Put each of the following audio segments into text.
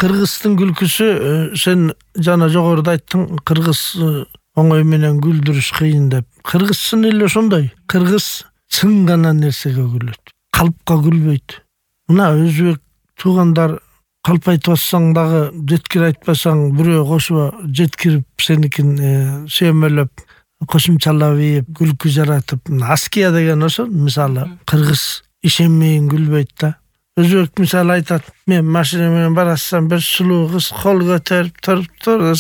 кыргыздын күлкүсү сен жана жогоруда айттың, кыргыз оңой менен күлдүрүш кыйын деп. Кыргыз чын эле ошондой. Кыргыз чын гана нерсеге күлөт. Калпка күлбөйт. Мына өзбек туугандар калп айтып атсаң дагы, жеткир айтпасаң бирөө кошуп жеткирип сеникин сүйөмөлөп, кошумчалап ийип, күлкү жаратып. Аския деген ошо, мисалы, кыргыз ишенмейин күлбөйт да. Өзбек мисалы айтат, мен машина менен барасам, бир сулуу кыз кол көтөрүп туруп,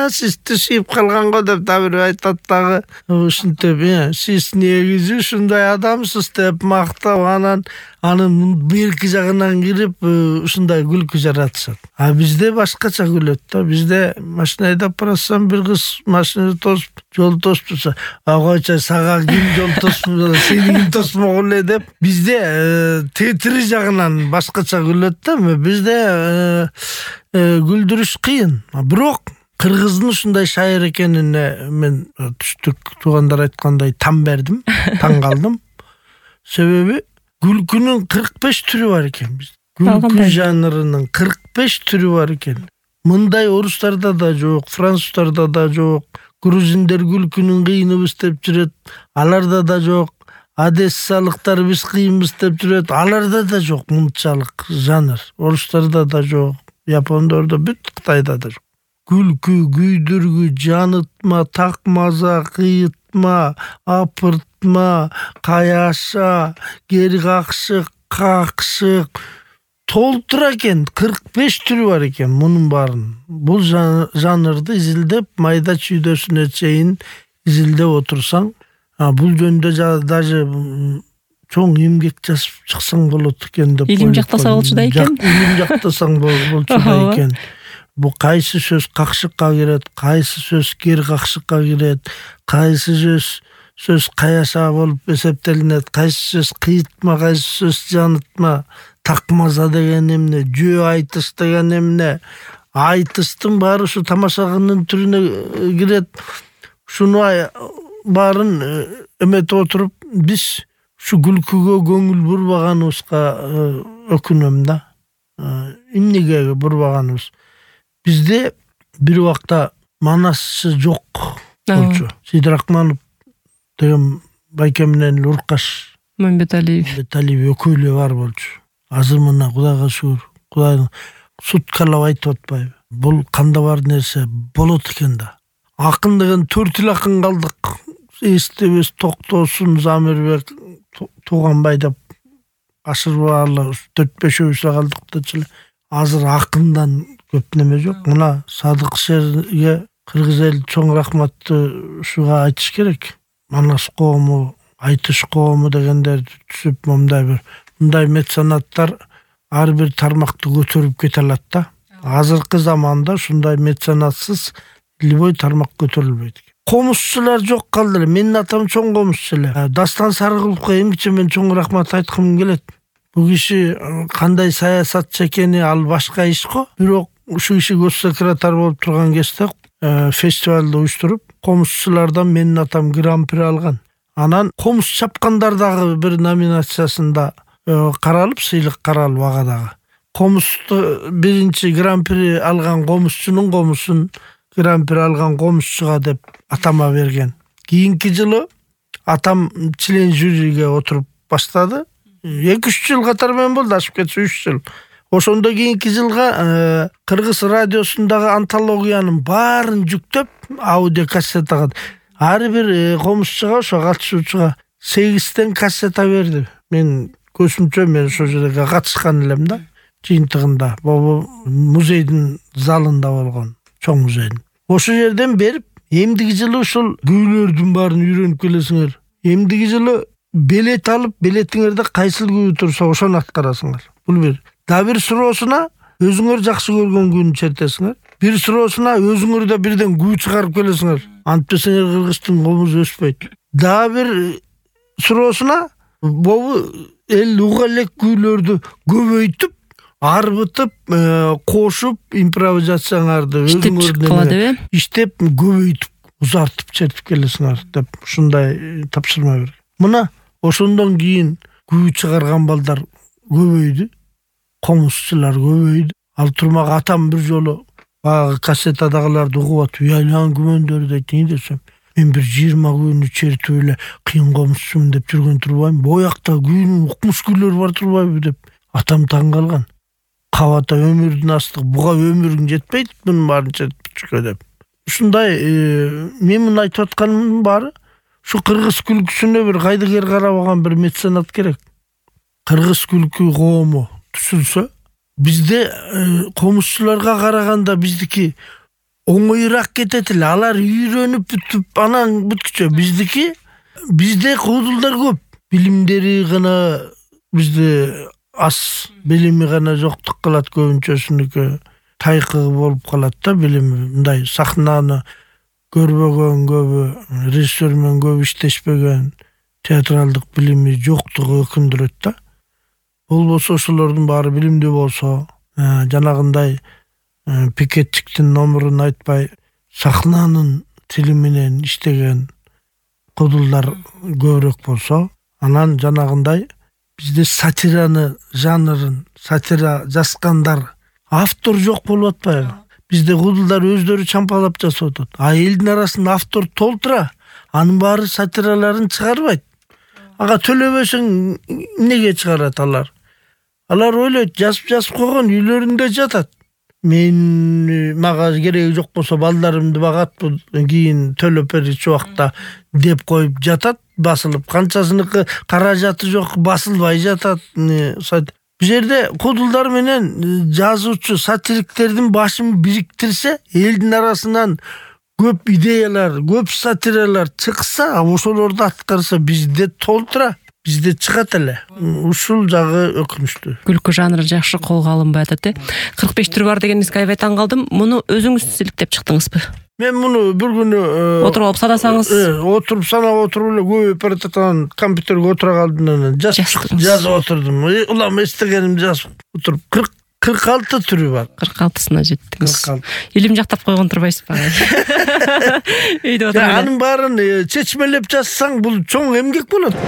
сиз түшүп калган го деп дагы бир айтат дагы. Ушинтип, сиз негизи ушундай адамсыз деп мактап, анын берки жагынан кирип, ушундай күлкү жаратышат. А бизде башкача күлөт да. Бизде машина айдап барасам, бир кыз машинаны тосуп, жол тосуп турса, койчу сага ким жол тосуп, сени ким тосмок эле деп. Бизде тетири жагынан башкача күлөт да. Бизде күлдүрүш кыйын. Бирок кыргыздын ушундай шайыр экенине мен түштүк туугандар айткандай таң бердим, таң калдым. Себеби күлкүнүн 45 түрү бар экен бизде. Күлкү жанрынын 45 түрү бар экен. Мындай орустарда да жок, француздарда да жок. Грузиндер күлкүнүн кыйыныбыз деп жүрөт, аларда да жок. Одессалыктар биз кыйынбыз деп жүрөт, аларда да жок мынчалык жанр. Орустарда да жок, япондордо, бүт Кытайда да жок. Күлкү, күйдүргү, жанытма, такмаза, кыйытма, апыртма, каяша, кери какшык, какшык толтура экен. 45 түрү бар экен мунун баарын. Бул жанрды изилдеп, майда чүйдөсүнө чейин изилдеп отурсаң, бул жөнүндө даже чоң эмгек жазып чыксаң болот экен деп. Илим жактаса болчу да экен. Илим жактасаң болчу да экен. Бу кайсы сөз какшыкка кирет, кайсы сөз кери какшыкка кирет, кайсы сөз каяша болуп эсептелинет, кайсы сөз кыйытма, кайсы сөз жанытма, такмаза деген эмне, жөө айтыш деген эмне. Айтыштын баары ушу тамашагынын түрүнө кирет. Шуну баарын эметип отуруп, биз ушу күлкүгө көңүл бурбаганыбызга өкүнөм да. Эмнеге бурбаганыбыз? Бизде бир убакта манасчы жок болчу. Сидирахманов деген байке менен Уркаш Мамбеталиев экөөлөө бар болчу. Азыр мына Кудайга шүгүр, Кудайдын суткалап айтып атпайбы? Бул канда бар нерсе болот экен да. Акын деген 4 эл акын калдык. Эстебес, Токтосун, Замирбек, Тууганбай деп ашырбаалы 4-5 калдык дечи. Азыр акындан көп неме жок. Мына Садык Шерге кыргыз эл чоң рахматты ушуга айтыш керек. Манас коому, айтыш коому дегендер түшүп, мындай меценаттар ар бир тармакты көтөрүп кете алат да. Азыркы заманда ушундай меценатсыз любой тармак көтөрүлбөйт. Комузчулар жок калды эле. Менин атам чоң комузчу эле. Дастан Сарыгуловго эмгиче мен чоң рахмат айткым келет. Бул киши кандай саясатчы экени ал башка иш го. Бирок ушу киши госсекретарь болуп турган кезде фестивалды уюштуруп, комузчулардан менин атам гран-при алган. Анан комуз чапкандар дагы бир номинациясында каралып, сыйлык каралып ага дагы. Комузду биринчи гран-при алган комузчунун комузун гран-при алган комузчуга деп атама берген. Кийинки жылы атам член жюриге отуруп баштады. 2-3 жыл катар менен болду, ашып кетсе 3 жыл. Ошондо кийинки жылга Кыргыз радиосундагы антологиянын баарын жүктөп, аудио кассетага ар бир комузчуга, ошо катышуучуга 8 кассета берди. Мен көзүмчө мен ошол жерге катышкан элем да, жыйынтыгында. Бул музейдин залында болгон, чоң музейдин. Ошол жерден берип, эмдиги жылы ушул күүлөрдүн баарын үйрөнүп келесиңер. Эмдиги жылы билет алып, билетиңерде кайсыл күү турса ошону аткарасыңар. Бул бир. Да бир суроосуна өзүңөр жакшы көргөн күүнү чертесиңер. Бир суроосуна өзүңөр да бирден күү чыгарып келесиңер. Антпесеңер кыргыздын комузу өспөйт. Да бир суроосуна бобу эл уга элек күүлөрдү көбөйтүп, арбытып, кошуп, импровизацияңарды өзүңөр иштеп, көбөйтүп, узартып чертип келесиңер деп ушундай тапшырма берген. Мына ошондон кийин күү чыгарган балдар көбөйдү, комузчулар көбөйдү. Ал турмак атам бир жолу баягы кассетадагыларды угуп атып, уялган күмөндөрдү айтты. Не десем, мен бир 20 күнү чертип эле кыйын комузчумун деп жүргөн турбайм. Боякта күн укмуш күйлөр бар турбайбы деп. Атам таң калган. Кабата өмүрдүн астык, буга өмүрүң жетпейт, мунун баарын чертип чыкка деп. Ушундай мен муну айтып атканымдын баары ушу кыргыз күлкүсүнө бир кайдыгер карабаган бир меценат керек. Кыргыз күлкү коому түшүлсө, бизде комузчуларга караганда биздики оңоюраак кетет эле. Алар үйрөнүп бүтүп анан бүткүчө. Бизде куудулдар көп. Билимдери гана бизде аз, билими гана жоктук кылат көбүнчөсүнүкү. Тайкы болуп калат да билими. Мындай сахнаны көрбөгөн көбү, режиссер менен көп иштешпеген, театралдык билими жоктугу өкүндүрөт да. Болбосо ошолордун баары билимдүү болсо, жанагындай пикетчиктин номурун айтпай, сахнанын тили менен иштеген кудулдар көбүрөөк болсо, анан жанагындай бизде сатираны жанрын, сатира жазгандар, автор жок болуп атпайбы? Bizde kudullar özdörü çampalap жасап атат. А элдин арасында автор толтура. Анын баары сатираларын чыгарбайт. Ага төлөбөсөң эмнеге чыгарат алар? Алар ойлойт, жазып койгон үйлөрүндө жатат. Мага кереги жок болсо балдарымды багатпын, кийин төлөп берчү убакта деп коюп жатат, басылып. Канчасыныкы каражаты жок, басылбай жатат. Бу жерде кудулдар менен жазуучу, сатириктердин башын бириктирсе, элдин арасынан көп идеялар, көп сатиралар чыкса, ошолорду аткарса бизде толтура, бизде чыгат эле. Ушул жагы өкүнүчтүү. Күлкү жанры жакшы колго алынбай атат. 45 түр бар дегениңизге аябай таң калдым. Муну өзүңүз иликтеп чыктыңызбы? Мен муну бир күнү отуруп алып санасаңыз, отуруп санап отуруп эле көбөйүп баратат, компьютерге отура калдым, жазып отурдум. Улам эстегенимди жазып отуруп 46 түрү бар. 46сына жеттиңиз. Илим жактап койгон турбайсызбы? Үйдө отуруп. Анын баарын чечмелеп жазсаң, бул чоң эмгек болот.